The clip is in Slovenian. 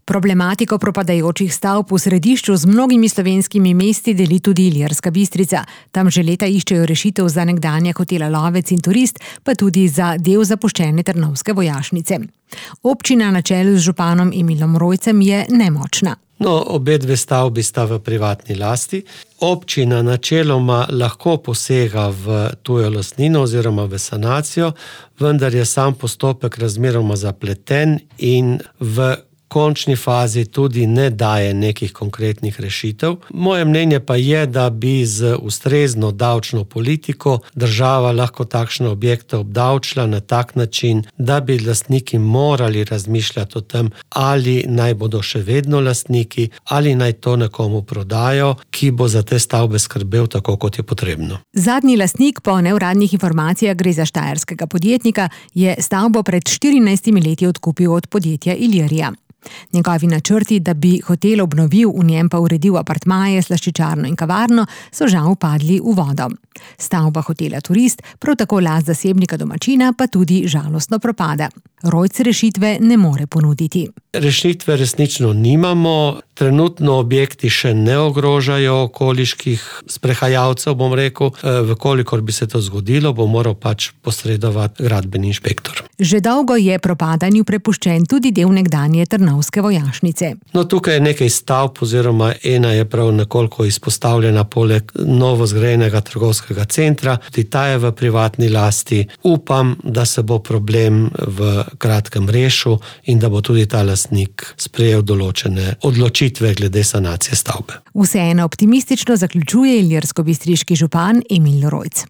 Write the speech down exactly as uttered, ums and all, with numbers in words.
Problematiko propadajočih stavb v središču z mnogimi slovenskimi mesti deli tudi Ilirska Bistrica. Tam že leta iščejo rešitev za nekdanja hotela Lovec in Turist, pa tudi za del zapuščene Trnovske vojašnice. Občina na čelu z županom Emilom Rojcem je nemočna. No, obe dve stavbi sta v privatni lasti. Občina načeloma lahko posega v tujo lastnino oziroma v sanacijo, vendar je sam postopek razmeroma zapleten in v končni fazi tudi ne daje nekih konkretnih rešitev. Moje mnenje pa je, da bi z ustrezno davčno politiko država lahko takšne objekte obdavčila na tak način, da bi lastniki morali razmišljati o tem, ali naj bodo še vedno lastniki, ali naj to nekomu prodajo, ki bo za te stavbe skrbel tako, kot je potrebno. Zadnji lastnik, po neuradnih informacijah gre za štajerskega podjetnika, je stavbo pred štirinajstimi leti odkupil od podjetja Ilirija. Njegovi načrti, da bi hotel obnovil, v njem pa uredil apartmaje, slaščičarno in kavarno, so žal padli v vodo. Stavba hotela Turist, prav tako last zasebnika domačina, pa tudi žalostno propada. Rojc rešitve ne more ponuditi. Rešitve resnično nimamo. Trenutno objekti še ne ogrožajo okoliških sprehajalcev, bom rekel. Vkolikor bi se to zgodilo, bo moral pač posredovati gradbeni inšpektor. Že dolgo je propadanju prepuščen tudi del nekdanje Trnovske vojašnice. No, tukaj je nekaj stavb, oziroma ena je prav nekoliko izpostavljena poleg novo zgrajenega trgovskega centra. Tudi ta je v privatni lasti. Upam, da se bo problem v kratkem rešil in da bo tudi ta lastnik sprejel določene odločitve glede sanacije stavbe. Vseeno optimistično zaključuje ilirskobistriški župan Emil Rojc.